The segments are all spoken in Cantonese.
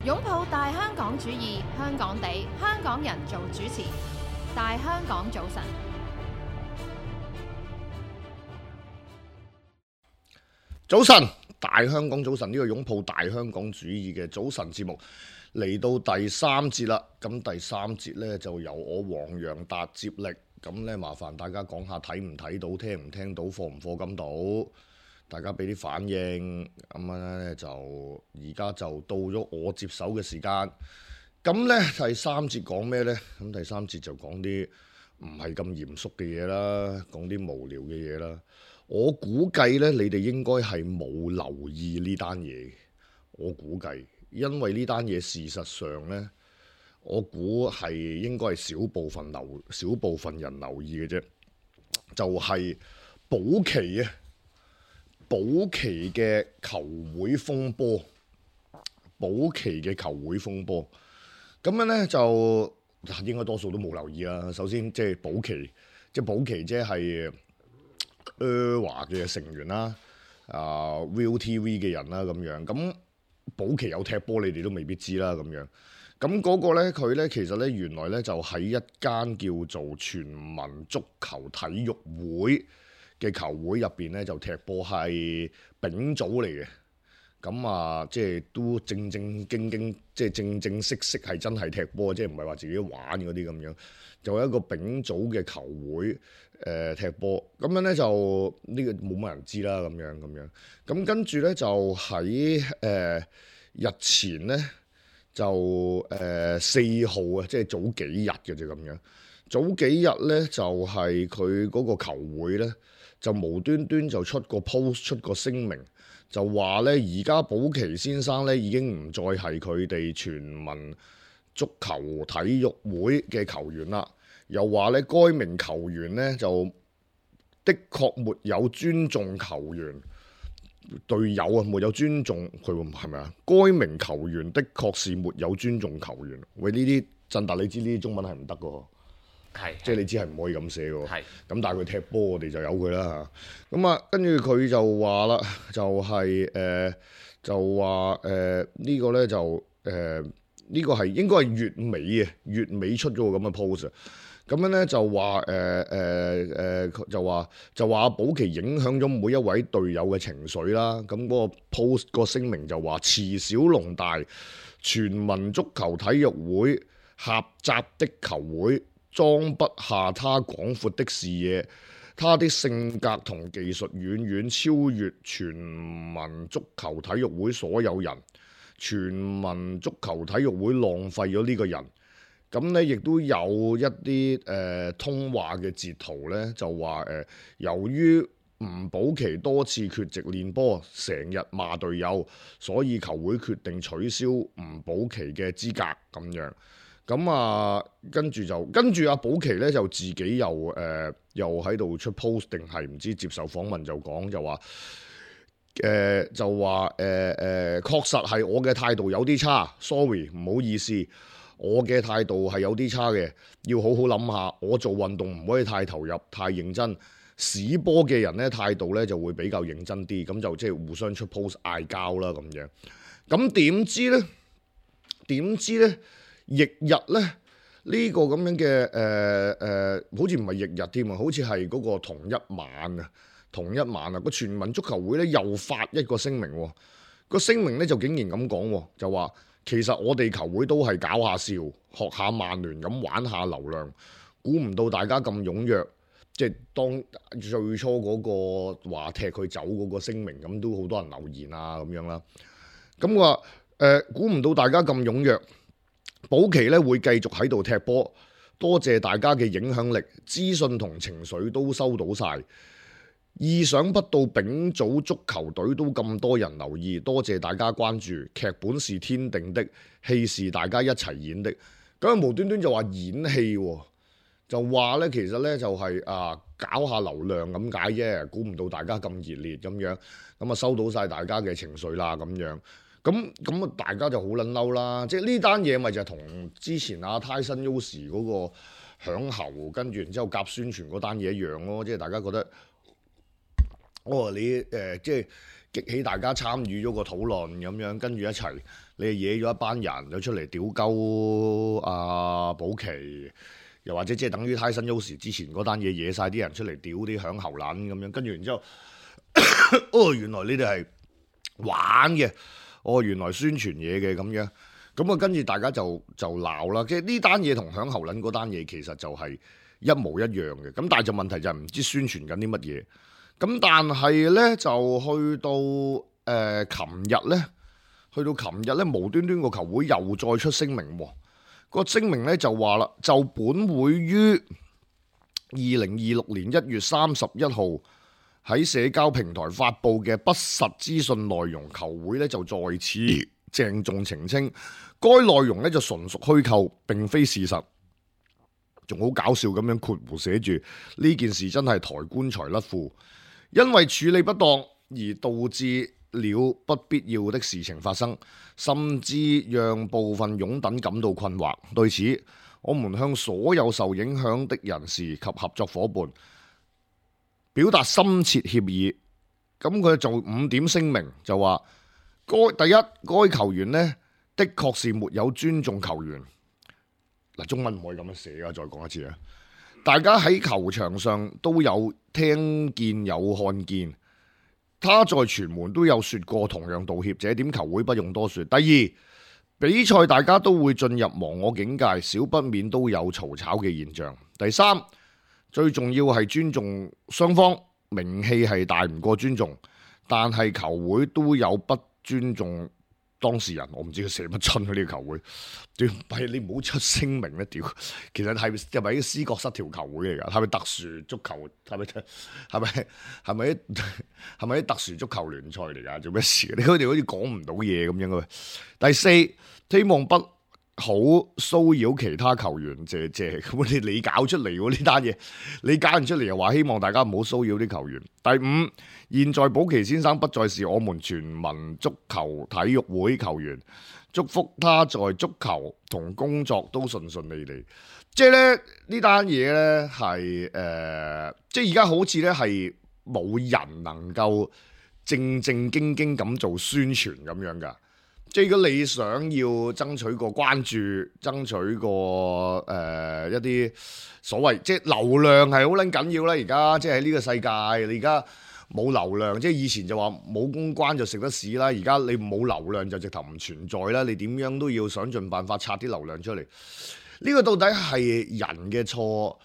擁抱大香港主義，香港地，香港人做主持。大香港早晨，早晨，大香港早晨，呢個擁抱大香港主義嘅早晨節目嚟到第三節啦。咁第三節呢，就由我黃洋達接力。咁呢，麻煩大家講下睇唔睇到、聽唔聽到、課唔課金到，大家俾啲反應。咁樣呢，就而家就到咗我接手嘅時間。咁呢，第三節講咩呢？咁第三節就講啲唔係咁嚴肅嘅嘢啦，講啲無聊嘅嘢啦。我估計呢，你哋應該係冇留意呢單嘢。我估計，因為呢單嘢事實上呢，我估係應該係少部分人留意嘅啫。就係保期啊，保期嘅球會風波，保期嘅球會風波。咁樣呢，就應該多數都冇留意啦。首先即係保期，即係華嘅成員啦，ViuTV 嘅人啦咁樣。咁保期有踢波，你哋都未必知啦咁樣。咁嗰個呢，佢呢其實呢，原來呢就喺一間叫做全民足球體育會嘅球會入邊呢，就踢波，係丙組嚟嘅。咁啊，即係都正正經經，即係正正式式係真係踢波，即係唔係話自己玩嗰啲咁樣。就係一個丙組嘅球會踢波，咁樣呢，就呢個冇乜人知啦咁樣。咁跟住呢，就喺日前呢，就4號啊，即係早幾日嘅啫咁樣。早幾日呢，就係佢嗰個球會呢，就無端端就出個 post 出個聲明。就話呢，而家保期先生呢已經唔再係佢哋全民足球體育會嘅球員啦。又話呢，該名球員呢就的確沒有尊重球員隊友啊，沒有尊重佢，係咪啊？該名球員的確是沒有尊重球員。喂，呢啲振達，你知呢啲中文係唔得㗎。即係你知係唔可以咁寫嘅，咁但係佢踢波，我哋就由佢啦嚇。咁啊，跟住佢就話啦，就係就話呢個咧就呢個係應該係月尾出咗個咁嘅 post。咁樣咧就話就話保期影響咗每一位隊友嘅情緒啦。咁嗰個 post 個聲明就話：慈小龍大，全民足球體育會狹窄的球會，裝不下他廣闊的視野，他的性格同技術遠遠超越全民足球體育會所有人。全民足球體育會浪費咗呢個人。咁呢亦都有一啲通話嘅截圖呢，就話由於吳保期多次缺席練波，成日罵隊友，所以球會決定取消吳保期嘅資格咁樣。咁啊，跟住阿保期咧就自己又喺度出 post 定係唔知接受訪問就講就話確實係我嘅態度有啲差 ，sorry 唔好意思，我嘅態度係有啲差嘅，要好好諗下，我做運動唔可以太投入、太認真，屎波嘅人咧態度咧就會比較認真啲，咁就即係互相出 post 嗌交啦咁樣。咁點知咧？翌日咧，呢個咁樣嘅好似唔係翌日添啊，好似係嗰個同一晚啊，個全民足球會咧又發一個聲明喎。個聲明咧就竟然咁講喎，就話其實我哋球會都係搞下笑，學下曼聯咁玩下流量，估唔到大家咁踴躍，即係當最初嗰個話踢佢走嗰個聲明咁，都好多人留言啊咁樣啦。咁話估唔到大家咁踴躍。保期咧會繼續喺度踢波，多謝大家嘅影響力、資訊同情緒都收到晒。意想不到丙組足球隊都咁多人留意，多謝大家關注。劇本是天定的，戲是大家一齊演的。咁無端端就話演戲喎，就話咧其實咧就係搞下流量咁解啫，估唔到大家咁熱烈咁樣，咁啊收到晒大家嘅情緒啦咁樣。咁啊，大家就好撚嬲啦！即係呢單嘢咪就係同之前阿泰森 Yoshi 嗰個響喉，跟住然之後夾宣傳嗰單嘢一樣咯。即係大家覺得，你即係激起大家參與咗個討論咁樣，跟住一齊你係惹咗一班人就出嚟屌鳩阿保期，又或者即係等於泰森優時之前嗰單嘢惹晒啲人出嚟屌啲響喉撚咁樣，跟住然之後，哦原來你哋係玩嘅，哦原來宣傳嘢嘅咁樣，咁啊跟住大家就鬧啦，即係呢單嘢同響喉撚嗰單嘢其實就係一模一樣嘅，咁但係就問題就係唔知宣傳緊啲乜嘢，咁但係咧就去到琴日咧無端端個球會又再出聲明喎，個聲明咧就話啦，就本會於2026年1月31號喺社交平台發布嘅不實資訊內容，球會咧就在此鄭重澄清，該內容咧就純屬虛構，並非事實。仲好搞笑咁樣括弧寫住呢件事真係抬棺材甩褲，因為處理不當而導致了不必要的事情發生，甚至讓部分擁躉感到困惑。對此，我們向所有受影響的人士及合作夥伴表達深切歉意。咁佢做5點聲明，就話第一，該球員呢的確是沒有尊重球員。嗱，中文唔可以咁樣寫噶，再講一次啊！大家喺球場上都有聽見有看見，他在傳媒都有說過同樣道歉，這點球會不用多說。第二，比賽大家都會進入忘我境界，少不免都有嘈吵嘅現象。第三，最重要係尊重雙方，名氣係大唔過尊重，但係球會都有不尊重當事人，我唔知佢寫乜春呢個球會，屌你唔好出聲明咧，屌！其實係咪啲思覺失調球會嚟㗎？係咪特殊足球？係咪啲特殊足球聯賽嚟㗎？做咩事？你佢哋好似講唔到嘢咁樣嘅。第四，希望不好騷擾其他球員，謝。咁你搞出嚟喎呢單嘢，你搞完出嚟又話希望大家唔好騷擾啲球員。第五，現在保奇先生不再是我們全民足球體育會球員，祝福他在足球同工作都順順利利。即係咧呢單嘢咧係即係而家好似咧係冇人能夠正正經經咁做宣傳咁樣㗎。即係如果你想要爭取個關注，爭取個一啲所謂即係流量係好撚緊要啦。而家即係喺呢個世界，你而家冇流量，即係以前就話冇公關就食得屎啦。而家你冇流量就直頭唔存在啦。你點樣都要想盡辦法拆啲流量出嚟。呢個到底係人嘅錯，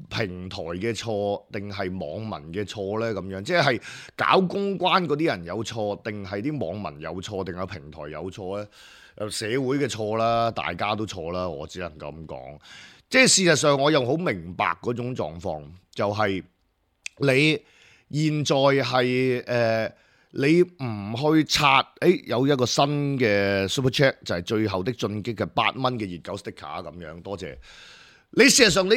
平台嘅錯，定係網民嘅錯呢？咁樣即係搞公關嗰啲人有錯，定係啲網民有錯，定係平台有錯呢？社會嘅錯啦，大家都錯啦，我只能夠咁講。即係事實上，我又好明白嗰種狀況，就係你現在係你唔去刷，有一個新嘅 Super Chat 就係最後的進擊嘅8蚊嘅熱狗 sticker 咁樣，多謝你。事實上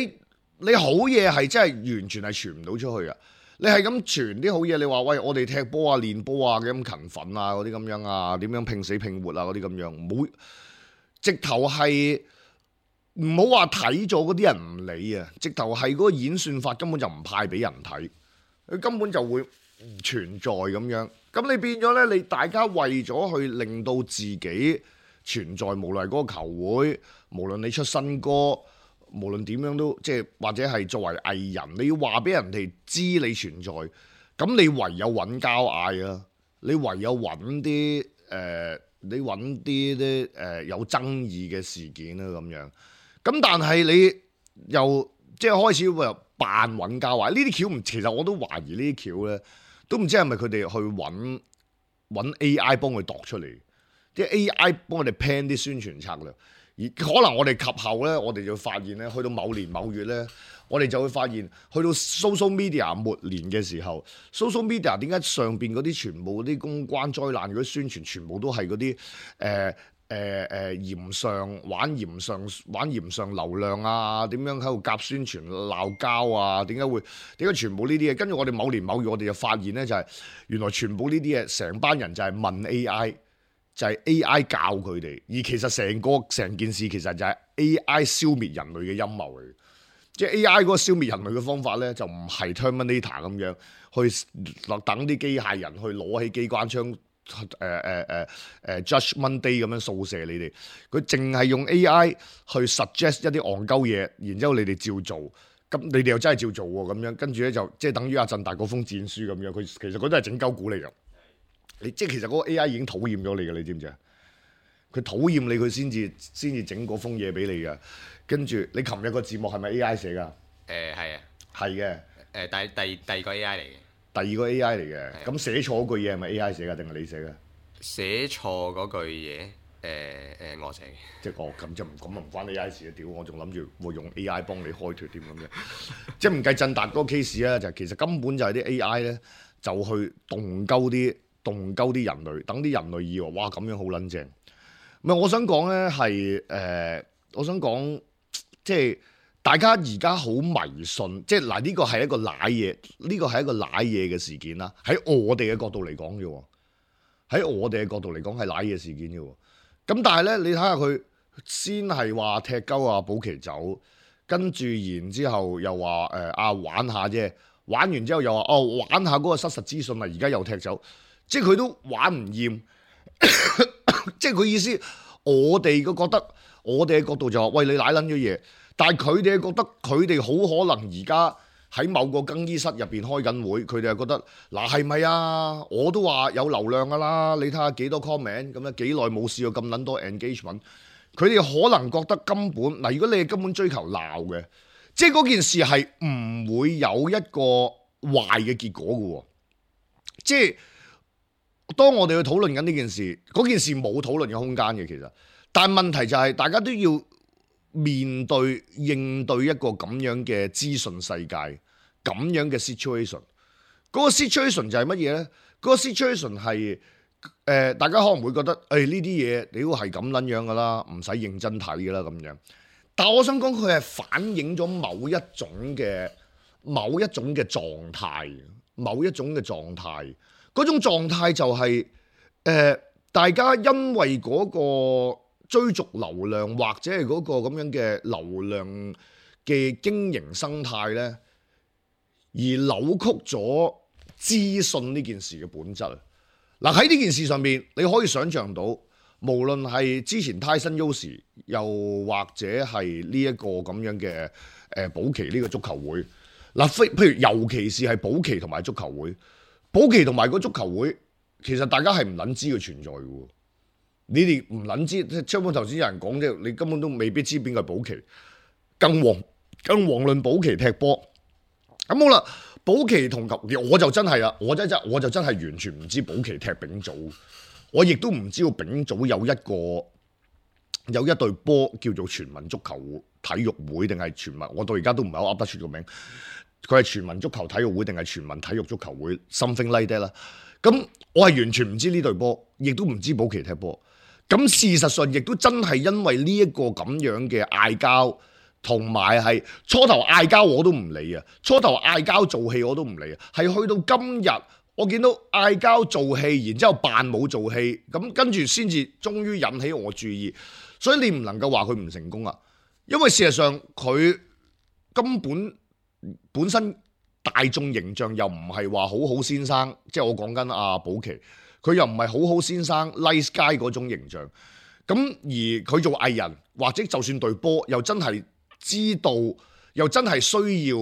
你好嘢係真係完全係傳唔到出去啊！你係咁傳啲好嘢，你話喂我哋踢波啊、練波啊咁勤奮啊嗰啲咁樣啊，點樣拼死拼活啊嗰啲咁樣，唔好直頭係唔好話睇咗嗰啲人唔理啊！直頭係嗰個演算法根本就唔派俾人睇，佢根本就會唔存在咁樣。咁你變咗咧，你大家為咗去令到自己存在，無論係嗰個球會，無論你出新歌。無論點樣都即係或者係作為藝人，你要話俾人哋知你存在，咁你唯有揾交嗌啊！你唯有揾啲你揾啲有爭議嘅事件啦咁樣。咁但係你又即係開始又扮揾交嗌，呢啲橋唔，其實我都懷疑呢啲橋咧，都唔知係咪佢哋去揾 AI 幫佢度出嚟，啲 AI 幫我哋 plan 啲宣傳策略。而可能我哋及後咧，我哋就發現咧，去到某年某月咧，我哋就會發現，去到 social media 末年嘅時候，social media 點解上邊嗰啲全部嗰啲公關災難嗰啲宣傳，全部都係嗰啲玩鹽上流量啊？點樣喺度夾宣傳鬧交啊？點解全部呢啲嘢？跟住我哋某年某月，我哋就發現咧，就係原來全部呢啲嘢，成班人就係問 AI。就係 AI 教佢哋，而其實成件事其實就係 AI 消滅人類嘅陰謀嚟。即係 AI 嗰個消滅人類嘅方法咧，就唔係 Terminator 咁樣去等啲機械人去攞起機關槍 Judge Monday 咁樣掃射你哋，佢淨係用 AI 去 suggest 一啲戇鳩嘢，然之後你哋照做，咁你哋又真係照做喎，咁樣跟住咧就即係等於阿振達嗰封戰書咁樣，佢其實佢都係整鳩股嚟㗎。你即係其實嗰個 AI 已經討厭咗你㗎，你知唔知啊？佢討厭你，佢先至整嗰封嘢俾你㗎。跟住你琴日個字幕係咪 AI 寫㗎？係啊，係嘅。第二個 AI 嚟嘅。第二個 AI 嚟嘅，咁寫錯嗰句嘢係咪 AI 寫㗎，定係你寫㗎？寫錯嗰句嘢，我寫嘅。即係咁就唔關 AI 事啊！屌，我仲諗住會用 AI 幫你開脱添咁樣。即係唔計振達嗰個 case 啊，就其實根本就係啲 AI 咧，就去動鳩啲人類，等啲人類以為哇咁樣好撚正。唔係，我想講咧係我想講即係。大家而家好迷信，即係嗱呢個係一個賴嘢，呢個係一個賴嘢嘅事件啦。喺我哋嘅角度嚟講啫，喺我哋嘅角度嚟講係賴嘢事件啫。咁但係咧，你睇下佢先係話踢鳩啊保期走，跟住然之後又話玩下啫，玩完之後又話玩下嗰個失實資訊啊，而家又踢走，即係佢都玩唔厭，即係佢意思，我哋嘅覺得，我哋嘅角度就話，喂，你賴撚咗嘢。但係佢哋覺得佢哋好可能而家喺某個更衣室入邊開緊會，佢哋係覺得嗱係咪啊？我都話有流量㗎啦，你睇下幾多 comment 咁樣，幾耐冇試過咁撚多 engagement。佢哋可能覺得根本嗱，如果你係根本追求鬧嘅，即係嗰件事係唔會有一個壞嘅結果嘅喎。即係當我哋去討論緊呢件事，嗰件事冇討論嘅空間嘅其實，但係問題就係大家都要面對應對一個咁樣嘅資訊世界，咁樣嘅 situation，嗰個 situation 就係乜嘢咧？嗰個 situation 係大家可能會覺得呢啲嘢你都係咁撚樣噶啦，唔使認真睇噶啦咁樣。但係我想講佢係反映咗某一種嘅狀態，某一種嘅狀態。嗰種狀態就係大家因為嗰個追逐流量或者係嗰個咁樣嘅流量嘅經營生態咧，而扭曲咗資訊呢件事嘅本質。嗱，喺呢件事上面，你可以想象到，無論係之前泰森優時，又或者係呢一個咁樣嘅保期呢個足球會，嗱，譬如尤其是係保期同埋足球會，保期同埋個足球會，其實大家係唔撚知佢存在嘅。你哋唔撚知，即係張本頭先有人講啫，你根本都未必知邊個係保期，更遑論保期踢波。咁好啦，保期同球，我就真係啦，我就真係完全唔知保期踢丙組，我亦都唔知道丙組有一隊波叫做全民足球體育會定係全民，我到而家都唔係好噏得出個名，佢係全民足球體育會定係全民體育足球會 something like that 啦。咁我係完全唔知呢隊波，亦都唔知保期踢波。咁事實上亦都真係因為呢一個咁樣嘅嗌交，同埋係初頭嗌交我都唔理啊，初頭嗌交做戲我都唔理啊，係去到今日我見到嗌交做戲，然之後扮冇做戲，咁跟住先至終於引起我注意，所以你唔能夠話佢唔成功啊，因為事實上佢根本身大眾形象又唔係話好好先生，即係我講緊阿保期。佢又唔係好好先生 nice guy 嗰種形象，咁而佢做藝人或者就算對波，又真係知道，又真係需要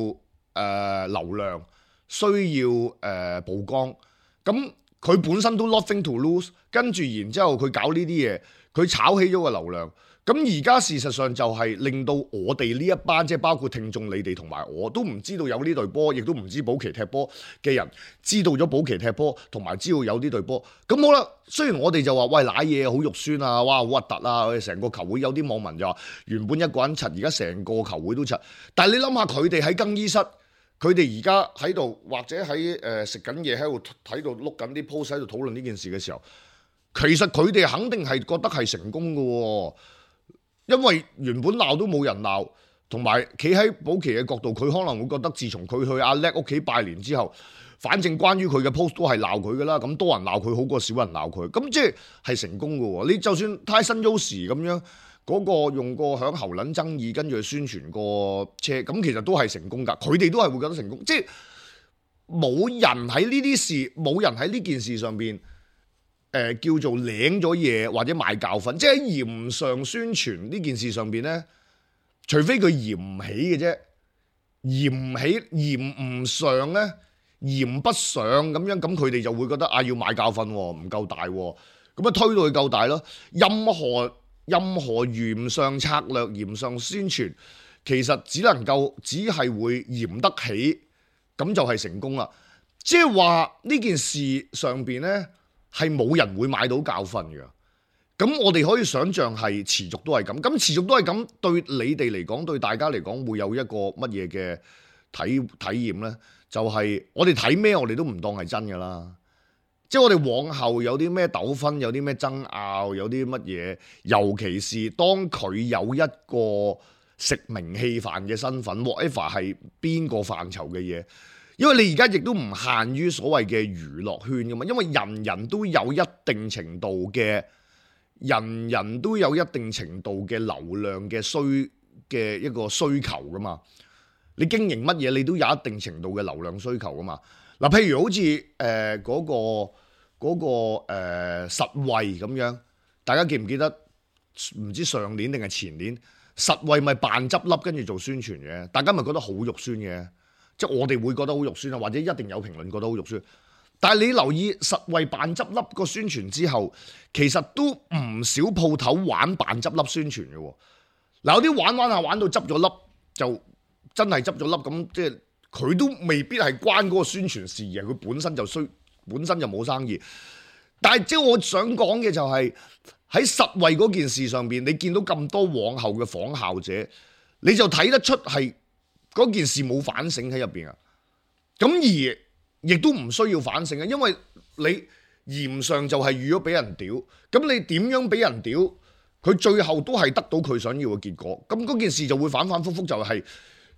流量，需要曝光，咁佢本身都 nothing to lose， 跟住然之後佢搞呢啲嘢，佢炒起咗個流量。咁而家事實上就係令到我哋呢一班，即係包括聽眾你哋同埋我都唔知道有呢隊波，亦都唔知保期踢波嘅人知道咗保期踢波，同埋知道有呢隊波。咁好啦，雖然我哋就話喂瀨嘢好肉酸啊，哇好核突啊，我哋成個球會有啲網民就話原本一個人柒，而家成個球會都柒。但係你諗下佢哋喺更衣室，佢哋而家喺度或者喺食緊嘢喺度碌緊啲 post 喺度討論呢件事嘅時候，其實佢哋肯定係覺得係成功嘅喎。因為原本鬧都冇人鬧，同埋企喺保期嘅角度，佢可能會覺得自從佢去阿叻屋企拜年之後，反正關於佢嘅 post 都係鬧佢噶啦，咁多人鬧佢好過少人鬧佢，咁即係成功嘅喎。你就算泰森優時咁樣嗰個用個響喉撚爭議，跟住去宣傳個車，咁其實都係成功㗎。佢哋都係會覺得成功，即係冇人喺呢啲事，冇人喺呢件事上邊叫做領咗嘢或者買教訓，即係喺鹽上宣傳呢件事上邊咧，除非佢鹽唔起嘅啫，鹽唔起鹽唔上咧，鹽不上咁樣，咁佢哋就會覺得啊要買教訓喎，唔夠大喎，咁啊推到佢夠大咯。任何鹽上策略、鹽上宣傳，其實只係會鹽得起，咁就係成功啦。即係話呢件事上邊呢，係冇人會買到教訓嘅。咁我哋可以想象係持續都係咁。咁持續都係咁，對你哋嚟講，對大家嚟講，會有一個乜嘢嘅體驗呢？就係我哋睇咩，我哋都唔當係真㗎啦。即係我哋往後有啲咩糾紛，有啲咩爭拗，有啲乜嘢，尤其是當佢有一個食名氣飯嘅身份 ，whatever 係邊個範疇嘅嘢，因為你而家亦都唔限於所謂嘅娛樂圈㗎嘛，因為人人都有一定程度嘅流量嘅一個需求㗎嘛。你經營乜嘢，你都有一定程度嘅流量需求㗎嘛。嗱，譬如好似嗰個實惠咁樣，大家記唔記得？唔知上年定係前年，實惠咪扮執笠跟住做宣傳嘅，大家咪覺得好肉酸嘅，即係我哋會覺得好肉酸啊，或者一定有評論覺得好肉酸。但係你留意實惠扮執笠個宣傳之後，其實都唔少鋪頭玩扮執笠宣傳嘅喎。嗱，有啲玩下玩到執咗笠，就真係執咗笠咁，即係佢都未必係關嗰個宣傳事嘅，佢本身就冇生意。但係即係我想講嘅就係喺實惠嗰件事上邊，你見到咁多往後嘅仿效者，你就睇得出係嗰件事冇反省喺入邊啊。咁而亦都唔需要反省啊，因為你鹽上就係預咗俾人屌，咁你點樣俾人屌，佢最後都係得到佢想要嘅結果。咁嗰件事就會反反覆覆，就係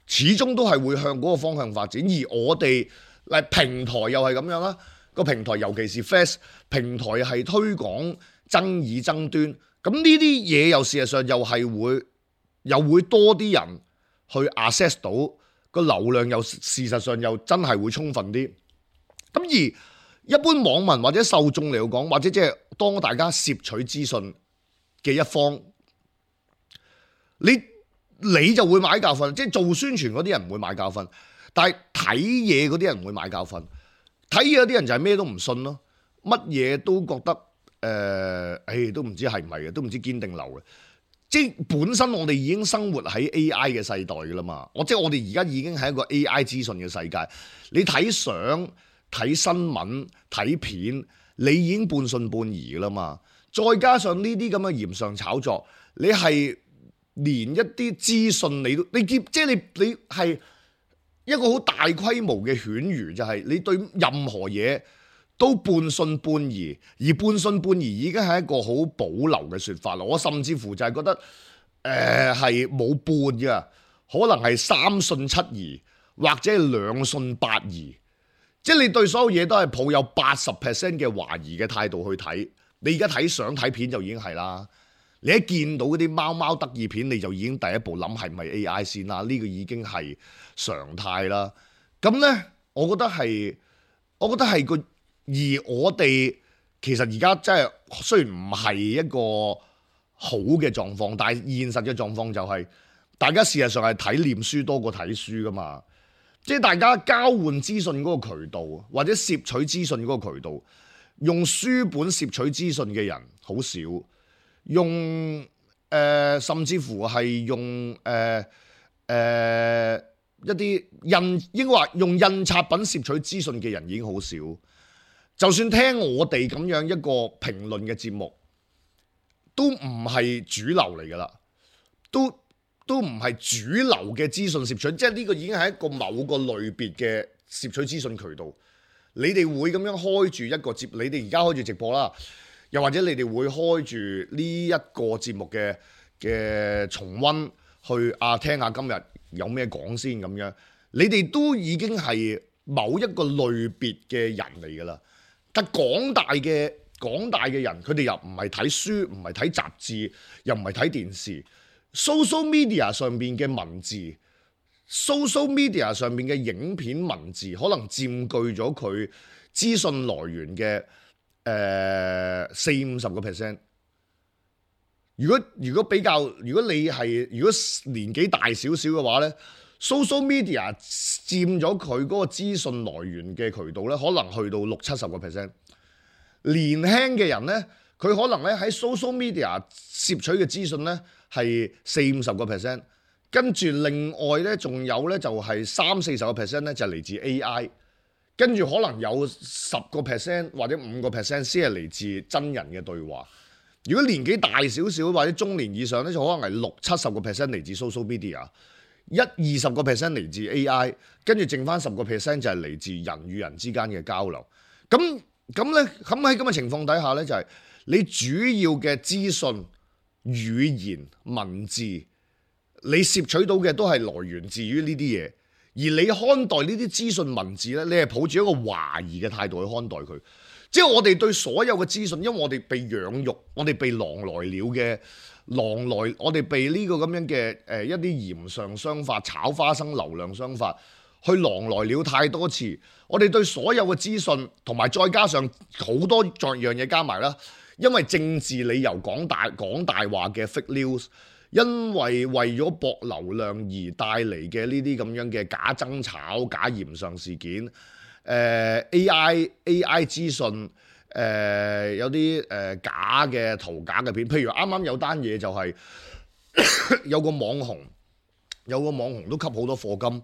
始終都係會向嗰個方向發展。而我哋平台又係咁樣啦。個平台尤其是 Flash 平台係推廣爭議爭端，咁呢啲嘢又事實上又會多啲人去 access 到個流量，又事實上又真係會充分啲。咁而一般網民或者受眾嚟講，或者即係當大家攝取資訊嘅一方，你就會買教訓，即係做宣傳嗰啲人唔會買教訓，但係睇嘢嗰啲人會買教訓。睇嘢嗰啲人就係咩都唔信咯，乜嘢都覺得都唔知係唔係嘅，都唔知堅定流嘅。即係本身我哋已經生活喺 AI 嘅世代㗎啦嘛，即係我哋而家已經係一個 AI 資訊嘅世界。你睇相、睇新聞、睇片，你已經半信半疑㗎啦嘛。再加上呢啲咁嘅鹽上炒作，你係連一啲資訊你即係你係一個好大規模嘅犬儒，就係你對任何嘢都半信半疑，而半信半疑已經係一個好保留嘅說法啦。我甚至乎就係覺得係冇半嘅，可能係三信七疑，或者係兩信八疑，即係你對所有嘢都係抱有80% 嘅懷疑嘅態度去睇。你而家睇相睇片就已經係啦，你一見到嗰啲貓貓得意片，你就已經第一步諗係咪 AI 先啦？呢個已經係常態啦。咁呢，我覺得係個，而我哋其實而家真係雖然唔係一個好嘅狀況，但係現實嘅狀況就係大家事實上係睇臉書多過睇書噶嘛。即係大家交換資訊嗰個渠道，或者攝取資訊嗰個渠道，用書本攝取資訊嘅人好少。用甚至乎係用一啲應該話用印刷品攝取資訊嘅人已經好少。就算聽我哋咁樣一個評論嘅節目，都唔係主流嚟噶啦，都唔係主流嘅資訊攝取，即係呢個已經係一個某個類別嘅攝取資訊渠道。你哋會咁樣開住一個節，你哋而家開住直播啦。又或者你哋會開住呢一個節目嘅重溫去聽下今日有咩講先咁樣，你哋都已經係某一個類別嘅人嚟㗎啦。但廣大嘅人，佢哋又唔係睇書，唔係睇雜誌，又唔係睇電視。social media 上邊嘅文字 social media 上邊嘅影片文字，可能佔據咗佢資訊來源嘅40-50%。如果比較，如果你係年紀大少少嘅話咧，social media 佔咗佢嗰個資訊來源嘅渠道咧，可能去到60-70%。年輕嘅人咧，佢可能咧喺 social media 攝取嘅資訊咧係40-50%，跟住另外咧仲有咧就係30-40%咧就係嚟自 AI， 跟住可能有10% 或者5% 先係嚟自真人嘅對話。如果年紀大少少或者中年以上咧，就可能係60-70% 嚟自 social media， 20% 嚟自 AI， 跟住剩翻10% 就係嚟自人與人之間嘅交流。咁咧，咁喺咁嘅情況底下咧，就係你主要嘅資訊、語言、文字，你攝取到嘅都係來源自於呢啲嘢，而你看待呢啲資訊文字咧，你係抱住一個懷疑嘅態度去看待佢。即係我哋對所有嘅資訊，因為我哋被養育，我哋被狼來，我哋被呢個咁樣嘅一啲鹽上商法、炒花生流量商法去狼來了太多次。我哋對所有嘅資訊，同埋再加上好多樣嘢加埋啦，因為政治理由講大話嘅 fake news， 因為咗博流量而帶嚟嘅呢啲咁樣嘅假爭吵、假鹽上事件。AI 資訊，有啲假嘅圖假嘅片，譬如啱啱有單嘢就係有個網紅都吸好多課金，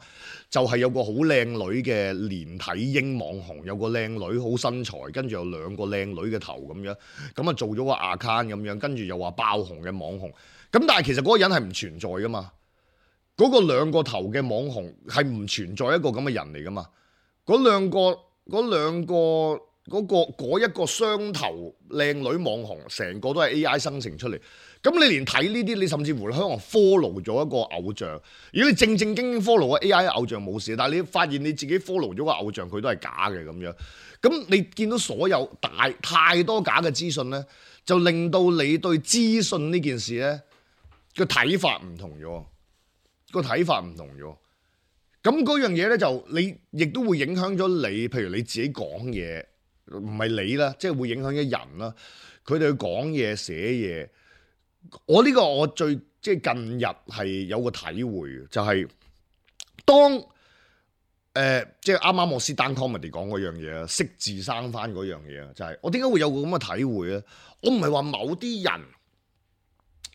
就係有個好靚女嘅連體嬰網紅，有個靚女好身材，跟住有兩個靚女嘅頭咁樣，咁啊做咗個 account 咁樣，跟住又話爆紅嘅網紅，咁但係其實嗰個人係唔存在噶嘛，嗰個兩個頭嘅網紅係唔存在一個咁嘅人嚟噶嘛。嗰一個雙頭靚女網紅，成個都係 AI 生成出嚟。咁你連睇呢啲，你甚至乎可能 follow 咗一個偶像。如果你正經 follow 個 AI 偶像冇事，但係你發現你自己 follow 咗個偶像，佢都係假嘅咁樣。咁你見到所有太多假嘅資訊呢，就令到你對資訊呢件事呢個睇法唔同咗，咁嗰樣嘢咧，就你亦都會影響咗你，譬如你自己講嘢，唔係你啦，即係會影響咗人啦。佢哋去講嘢、寫嘢，我最即係近日係有個體會，就係當即係啱啱我 stand comedy 講嗰樣嘢啊，識字生翻嗰樣嘢啊，就係我點解會有個咁嘅體會咧？我唔係話某啲人，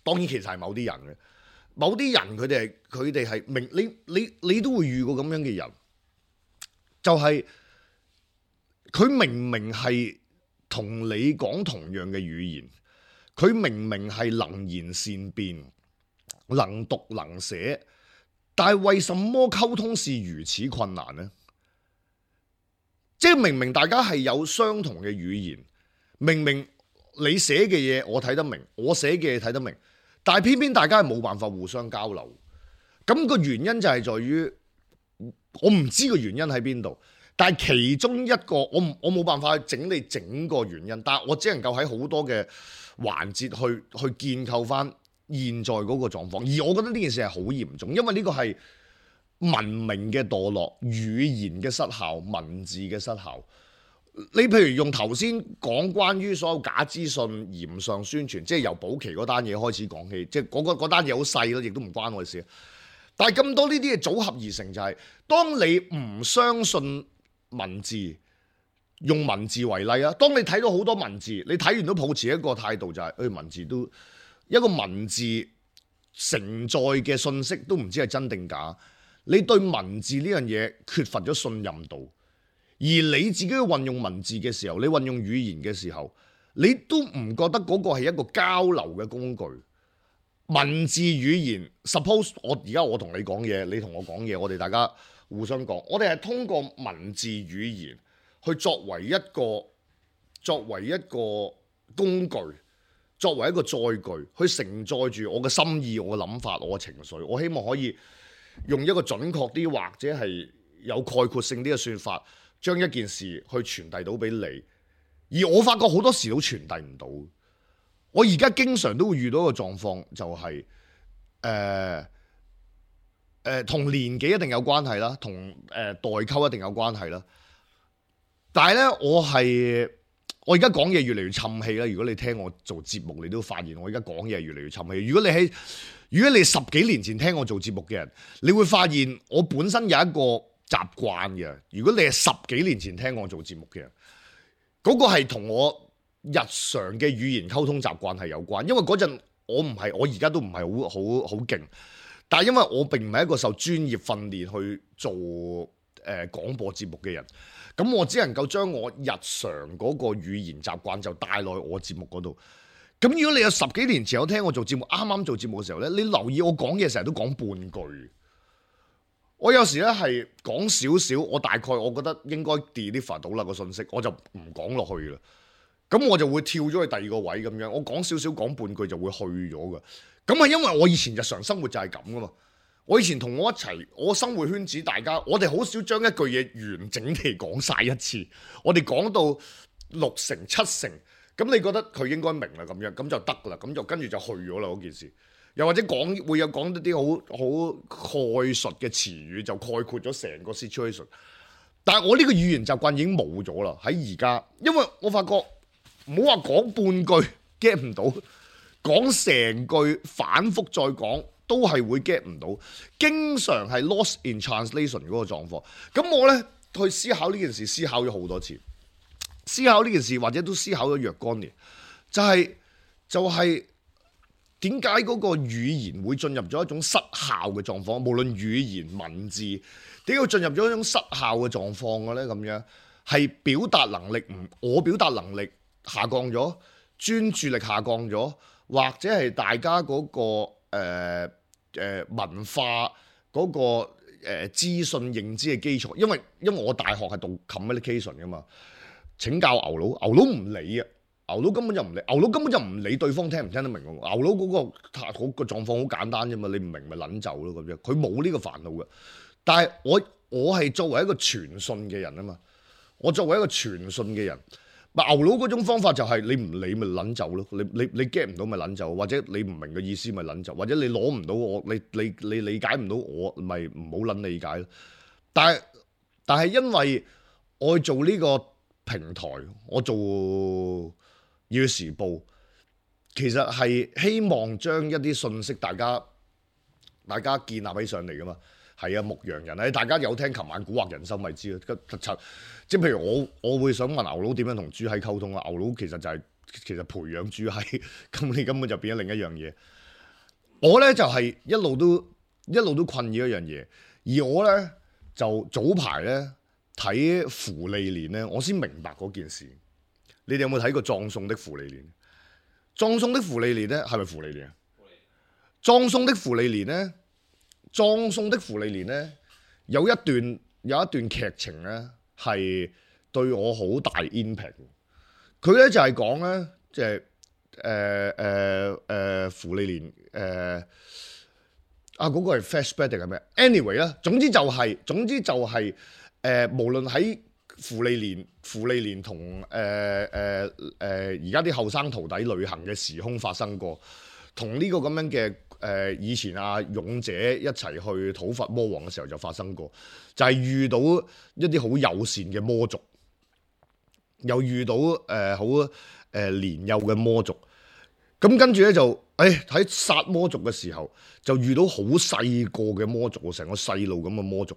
當然其實係某啲人嘅。某啲人佢哋係明你都會遇過咁樣嘅人，就係佢明係同你講同樣嘅語言，佢明係能言善辯、能讀能寫，但係為什麼溝通是如此困難呢？即係明大家係有相同嘅語言，明你寫嘅嘢我睇得明，我寫嘅嘢睇得明。但係偏偏大家係冇辦法互相交流，咁個原因就係在於我唔知個原因喺邊度，但係其中一個我冇辦法去整理整個原因，但係我只能夠喺好多嘅環節去建構翻現在嗰個狀況，而我覺得呢件事係好嚴重，因為呢個係文明嘅墮落、語言嘅失效、文字嘅失效。你譬如用頭先講關於所有假資訊、鹽上宣傳，即係由保期嗰單嘢開始講起，即係嗰單嘢好細咯，亦都唔關我事。但係咁多呢啲嘢組合而成，就係當你唔相信文字，用文字為例啊，當你睇到好多文字，你睇完都抱持一個態度就係，文字都一個文字承載嘅信息都唔知係真定假，你對文字呢樣嘢缺乏咗信任度。而你自己去運用文字嘅時候，你運用語言嘅時候，你都唔覺得嗰個係一個交流嘅工具。文字語言 ，suppose 我同你講嘢，你同我講嘢，我哋大家互相講，我哋係通過文字語言去作為一個工具，作為一個載具，去承載住我嘅心意、我嘅諗法、我嘅情緒。我希望可以用一個準確啲或者係有概括性啲嘅說法，將一件事去傳遞到俾你，而我發覺好多時都傳遞唔到。我而家經常都會遇到一個狀況，就係同年紀一定有關係啦，同代溝一定有關係啦。但係咧，我係我而家講嘢越嚟越沉氣啦。如果你聽我做節目，你都發現我而家講嘢越嚟越沉氣。如果你十幾年前聽我做節目嘅人，你會發現我本身有一個習慣嘅。如果你係十幾年前聽我做節目嘅人，嗰個係同我日常嘅語言溝通習慣係有關。因為嗰陣我而家都唔係好勁，但係因為我並唔係一個受專業訓練去做廣播節目嘅人。咁我只能夠將我日常嗰個語言習慣就帶落去我節目嗰度。咁如果你有十幾年前有聽我做節目，啱啱做節目嘅時候咧，你留意我講嘢成日都講半句。我有時咧係講少少，我大概我覺得應該 deliver 到啦個信息，我就唔講落去啦。咁我就會跳咗去第二個位咁樣，我講少少講半句就會去咗㗎。咁係因為我以前日常生活就係咁噶嘛。我以前同我一齊，我生活圈子大家，我哋好少將一句嘢完整地講晒一次。我哋講到6成7成，咁你覺得佢應該明啦咁樣，咁就得啦，咁就跟住就去咗啦嗰件事。又或者會有講一啲好概述嘅詞語，就概括咗成個 situation。但係我呢個語言習慣已經冇咗啦，喺而家，因為我發覺唔好話講半句 get 唔到，講成句反覆再講。都係會 get 唔到，經常係 lost in translation 嗰個狀況。咁我呢，去思考呢件事，思考咗好多次。思考呢件事或者都思考咗若干年，就係點解嗰個語言會進入咗一種失效嘅狀況？無論語言文字，點解進入咗一種失效嘅狀況嘅呢？咁樣係表達能力我表達能力下降咗，專注力下降咗，或者係大家嗰個文化嗰個資訊認知嘅基礎，因為我大學係讀 communication 噶嘛，請教牛佬唔理啊，牛佬根本就唔理對方聽唔聽得明喎，牛佬嗰個狀況好簡單啫嘛，你唔明咪撚走咯咁樣，佢冇呢個煩惱嘅。但係我係作為一個傳信嘅人啊嘛，我作為一個傳信嘅人。牛佬嗰種方法就係你唔理咪撚走咯，你 get 唔到咪撚走，或者你唔明嘅意思咪撚走，或者你攞唔到我，你理解唔到我，咪唔好撚理解咯。但係因為我做呢個平台，我做《粵語時報》，其實係希望將一啲信息大家建立起上嚟噶嘛。係啊，牧羊人啊，大家有聽琴晚蠱惑人心咪知咯。即係譬如我會想問牛佬點樣同豬閪溝通啊？牛佬其實就係培養豬閪，咁你根本就變咗另一樣嘢。我咧就係一路都困擾一樣嘢，而我咧就早排咧睇芙莉蓮咧，我先明白嗰件事。你哋有冇睇過《葬送的芙莉蓮》？《葬送的芙莉蓮》咧係咪芙莉蓮啊？葬送的芙莉蓮咧。葬送的芙莉蓮咧有一段劇情咧係對我好大 impact。佢咧就係講咧即係芙莉蓮嗰個係 flashback 定係咩 ？anyway 啦，總之就係無論喺芙莉蓮同而家啲後生徒弟旅行嘅時空發生過，同呢個咁樣嘅。以前勇者一齊去討伐魔王嘅時候就發生過，就係遇到一啲好友善嘅魔族，又遇到好年幼嘅魔族，咁跟住咧就喺殺魔族嘅時候就遇到好細個嘅魔族，成個細路咁嘅魔族，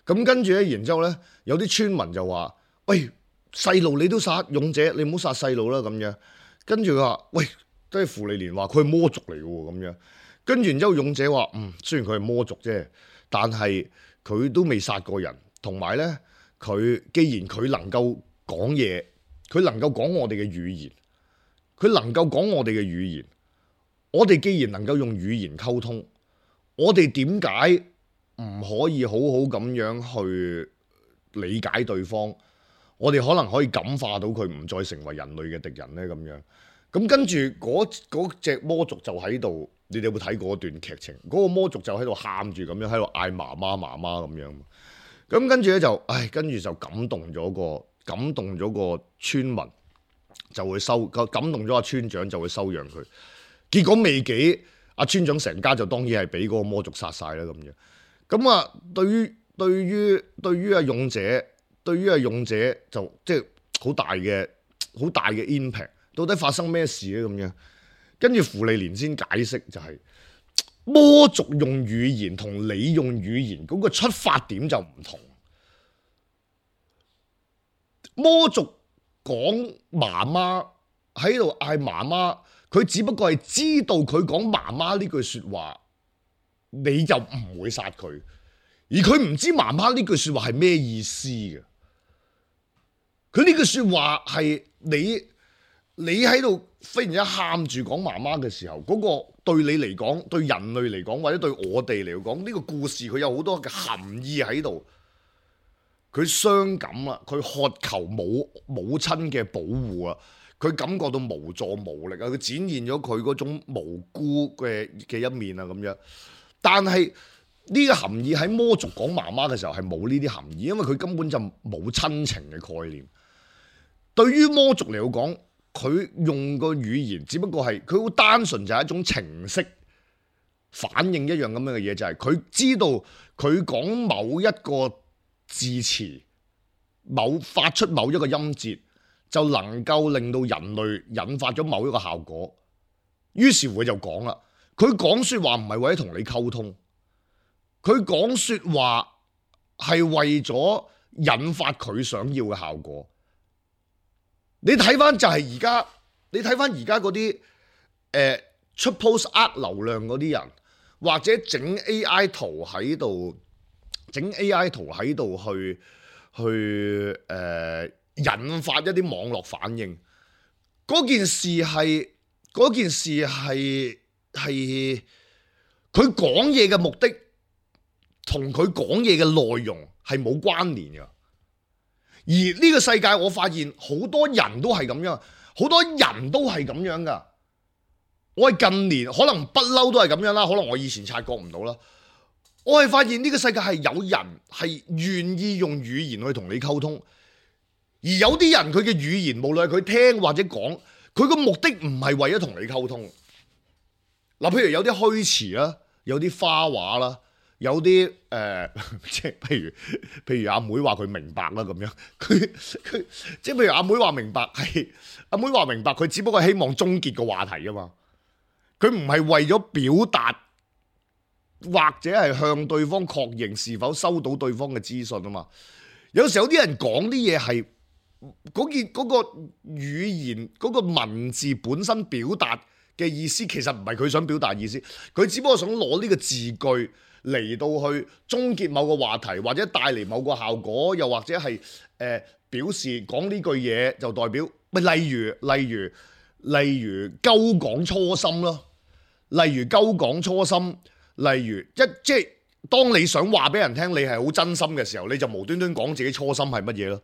咁跟住咧，然之後咧有啲村民就話：喂，細路你都殺，勇者你唔好殺細路啦咁樣。跟住佢話：喂，都係芙莉蓮話佢係魔族嚟嘅喎咁樣。跟住然之後，勇者話：雖然佢係魔族啫，但係佢都未殺過人。同埋咧，佢既然佢能夠講嘢，佢能夠講我哋嘅語言，佢能夠講我哋嘅語言，我哋既然能夠用語言溝通，我哋點解唔可以好好咁樣去理解對方？我哋可能可以感化到佢，唔再成為人類嘅敵人咧咁樣。咁跟住嗰隻魔族就喺度。你哋有冇睇過嗰段劇情？嗰個魔族就喺度喊住咁樣，喺度嗌媽媽咁樣。咁跟住咧就，跟住就感動咗個村民，就會感動咗阿村長就會收養佢。結果未幾，阿村長成家就當然係俾嗰個魔族殺晒啦咁樣。咁啊，對於阿勇者就即係好大嘅好大嘅 impact。到底發生咩事咧咁樣？跟住芙莉蓮先解釋就係、魔族用語言同你用語言嗰個出發點就唔同。魔族講媽媽喺度嗌媽媽，佢只不過係知道佢講媽媽呢句説話，你就唔會殺佢，而佢唔知媽媽呢句説話係咩意思嘅。佢呢句説話係你喺度忽然間喊住講媽媽嘅時候，嗰個對你嚟講，對人類嚟講，或者對我哋嚟講，呢個故事佢有好多嘅含義喺度。佢傷感啦，佢渴求母親嘅保護啊，佢感覺到無助無力啊，佢展現咗佢嗰種無辜嘅一面啊咁樣。但係呢個含義喺魔族講媽媽嘅時候係冇呢啲含義，因為佢根本就冇親情嘅概念。對於魔族嚟講，佢用個語言只不過係佢好單純，就係一種程式反應一樣咁樣嘅嘢，就係佢知道佢講某一個字詞，發出某一個音節，就能夠令到人類引發咗某一個效果。於是乎佢就講啦，佢講説話唔係為咗同你溝通，佢講説話係為咗引發佢想要嘅效果。你睇翻就係而家，你睇翻而家嗰啲出 post 呃流量嗰啲人，或者整 AI 圖喺度，去引發一啲網絡反應。嗰件事係佢講嘢嘅目的同佢講嘢嘅內容係冇關聯嘅。而呢個世界我發現好多人都係咁樣，好多人都係咁樣噶。我係近年可能不嬲都係咁樣啦，可能我以前察覺唔到啦。我係發現呢個世界係有人係願意用語言去同你溝通，而有啲人佢嘅語言無論係佢聽或者講，佢個目的唔係為咗同你溝通。嗱，譬如有啲虛詞啦，有啲花話啦。有啲即係譬如阿妹話佢明白啦咁樣，佢即係譬如阿妹話明白係阿妹話明白，佢只不過係希望終結個話題啊嘛，佢唔係為咗表達或者係向對方確認是否收到對方嘅資訊啊嘛。有時候有啲人講啲嘢係嗰個語言嗰個文字本身表達嘅意思，其實唔係佢想表達意思，佢只不過想攞呢個字句嚟到去終結某個話題，或者帶嚟某個效果，又或者係表示講呢句嘢就代表，例如鳩講初心咯，例如鳩講初心，例如即係當你想話俾人聽你係好真心嘅時候，你就無端端講自己初心係乜嘢咯。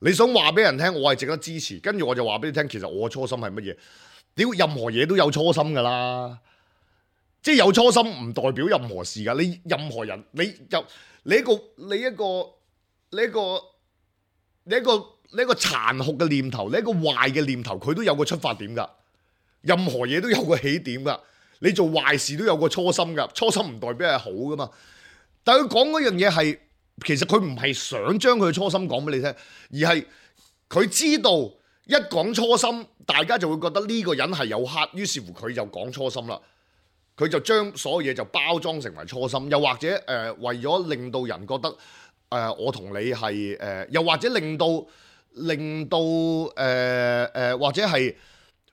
你想話俾人聽我係值得支持，跟住我就話俾你聽，其實我嘅初心係乜嘢？屌，任何嘢都有初心噶啦。即係有初心唔代表任何事噶，你任何人，你一個殘酷嘅念頭，你一個壞嘅念頭，佢都有個出發點噶。任何嘢都有個起點噶，你做壞事都有個初心噶，初心唔代表係好噶嘛。但係佢講嗰樣嘢係，其實佢唔係想將佢嘅初心講俾你聽，而係佢知道一講初心，大家就會覺得呢個人係有黑，於是乎佢就講初心啦。佢就將所有嘢就包裝成為初心，又或者為咗令到人覺得我同你係又或者令到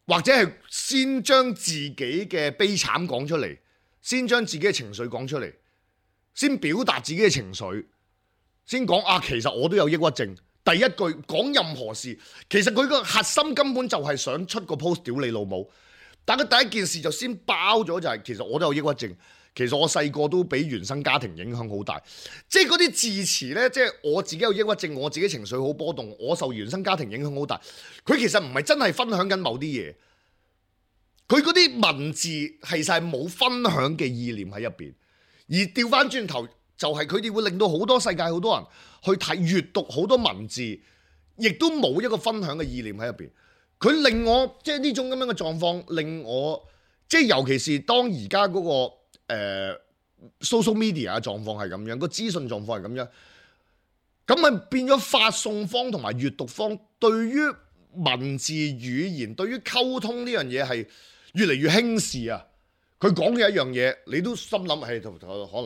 或者係先將自己嘅悲慘講出嚟，先將自己嘅情緒講出嚟，先表達自己嘅情緒，先講其實我都有抑鬱症。第一句講任何事，其實佢個核心根本就係想出個 post 屌你老母。但佢第一件事就先包咗，就係其實我都有抑鬱症，其實我細個都俾原生家庭影響好大，即係嗰啲字詞呢，即係我自己有抑鬱症，我自己情緒好波動，我受原生家庭影響好大。佢其實唔係真係分享緊某啲嘢，佢嗰啲文字其實係冇分享嘅意念喺入邊，而調翻轉頭就係佢哋會令到好多世界好多人去睇閱讀好多文字，亦都冇一個分享嘅意念喺入邊。佢令我即係呢種咁樣嘅狀況，令我即係尤其是當而家嗰個social media 嘅狀況係咁樣，個資訊狀況係咁樣，咁咪變咗發送方同埋閱讀方對於文字語言對於溝通呢樣嘢係越嚟越輕視啊！佢講嘅一樣嘢，你都心諗係可能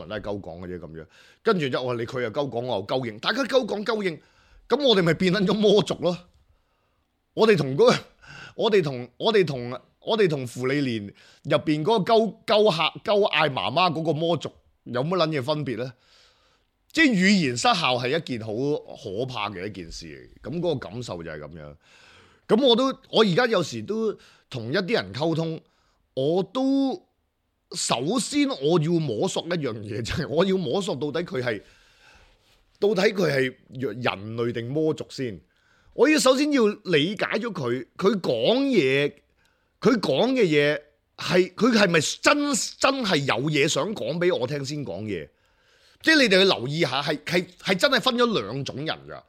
都係鳩講嘅啫咁樣。跟住之後我話你佢又鳩講，我又鳩應，大家鳩講鳩應，咁我哋咪變緊咗魔族咯。我哋同芙莉蓮入邊嗰個鳩嗌媽媽嗰個魔族有乜撚嘢分別咧？即係語言失效係一件好可怕嘅一件事嚟，咁嗰個感受就係咁樣。咁我而家有時都同一啲人溝通，我都首先我要摸索一樣嘢，就係我要摸索到底佢係人類定魔族先。我要首先要理解咗佢講嘢，佢講嘅嘢係佢係咪真係有嘢想講俾我聽先講嘢？即係你哋去留意下，係真係分咗兩種人㗎。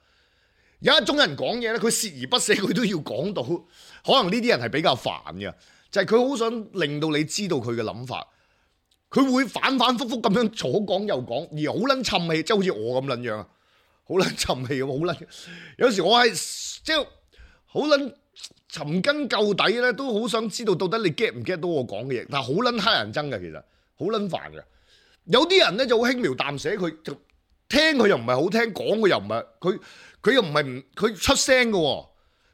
有一種人講嘢咧，佢鍥而不捨，佢都要講到。可能呢啲人係比較煩嘅，就係佢好想令到你知道佢嘅諗法。佢會反反覆覆咁樣左講右講，而好撚沉氣，即係好似我咁撚樣啊，好撚沉氣咁，好撚。有時我係即係好撚尋根究底咧，都好想知道到底你 get 唔 get 到我講嘅嘢，但係好撚乞人憎嘅，其實好撚煩嘅。有啲人咧就好輕描淡寫，佢就聽佢又唔係好聽，講佢又唔係佢又唔係佢出聲嘅喎，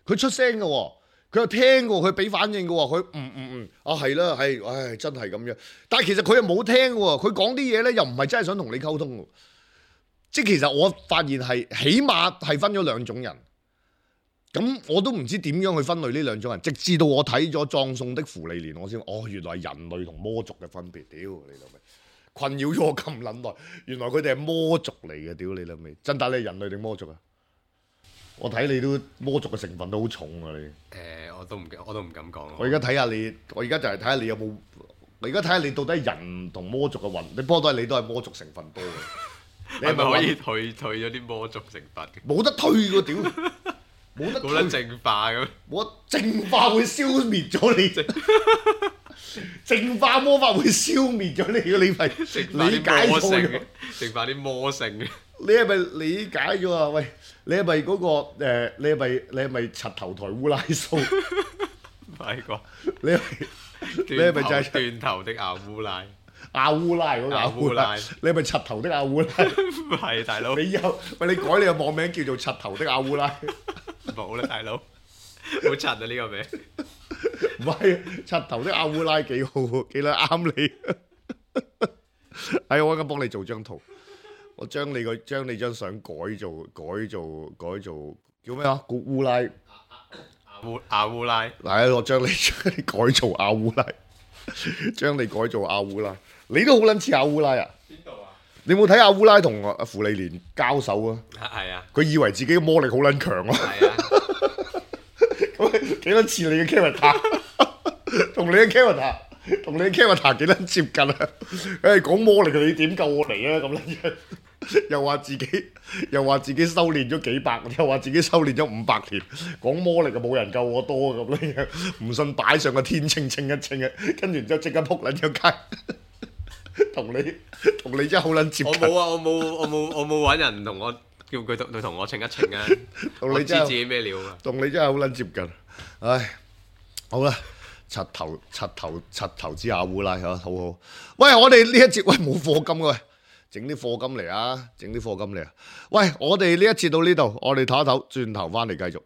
佢出聲嘅喎，佢又聽嘅喎，佢俾反應嘅喎，佢係啦係，唉真係咁樣。但係其實佢又冇聽嘅喎，佢講啲嘢咧又唔係真係想同你溝通嘅。即係其實我發現係起碼係分咗兩種人。咁我都唔知點樣去分類呢兩種人，直至到我睇咗《葬送的芙莉蓮》，我先原來係人類同魔族嘅分別。屌你老味！困擾咗我咁撚耐，原來佢哋係魔族嚟嘅，屌你老味！真打你係人類定魔族啊？我睇你都魔族嘅成分都好重啊！你我都唔敢講。我而家睇下你，我而家就係睇下你有冇，我而家睇下你到底係人同魔族嘅混，你波都係你都係魔族成分多嘅。你係咪可以退咗啲魔族成分？冇得退喎，屌！冇得淨化咁，冇得淨化會消滅咗你。淨化魔法會消滅咗你嘅，你係理解錯咗。淨化啲魔性嘅，你係咪理解咗啊？喂，你係咪嗰個你係咪柒頭台烏拉蘇？唔係啩？你係咪就係斷頭的阿烏拉？阿烏拉嗰個阿烏拉？你係咪柒頭的阿烏拉？唔係大佬。你以後喂你改你嘅網名叫做柒頭的阿烏拉？冇啦，大佬，好柒啊呢個名。唔係，柒頭的阿烏拉幾好，幾撚啱你。我而家幫你做張圖，我將你張相改做叫咩啊？古烏拉，阿烏拉。我將你改做阿烏拉，將你改做阿烏拉，你都好撚似阿烏拉啊！邊度啊？你冇睇阿烏拉同阿芙莉蓮交手啊？係啊。佢以為自己嘅魔力好撚強啊！係啊。咁幾撚似你嘅 character？同你嘅 character 幾撚接近啊？講魔力你點救我嚟啊？咁樣又話自己修練咗幾百，又話自己修練咗500年，講魔力就冇人救我多咁樣，唔信擺上個天秤稱一稱啊！跟住之後即刻撲撚咗街，同你真係好撚接近。我冇啊！我冇揾人同我叫佢同我稱一稱啊！我知自己咩料啊！同你真係好撚接近。唉，好啦。柒頭之阿烏拉嚇，好好。喂，我哋呢一節喂冇課金嘅，喂，整啲課金嚟啊！喂，我哋呢一節到呢度，我哋唞一唞，轉頭翻嚟繼續。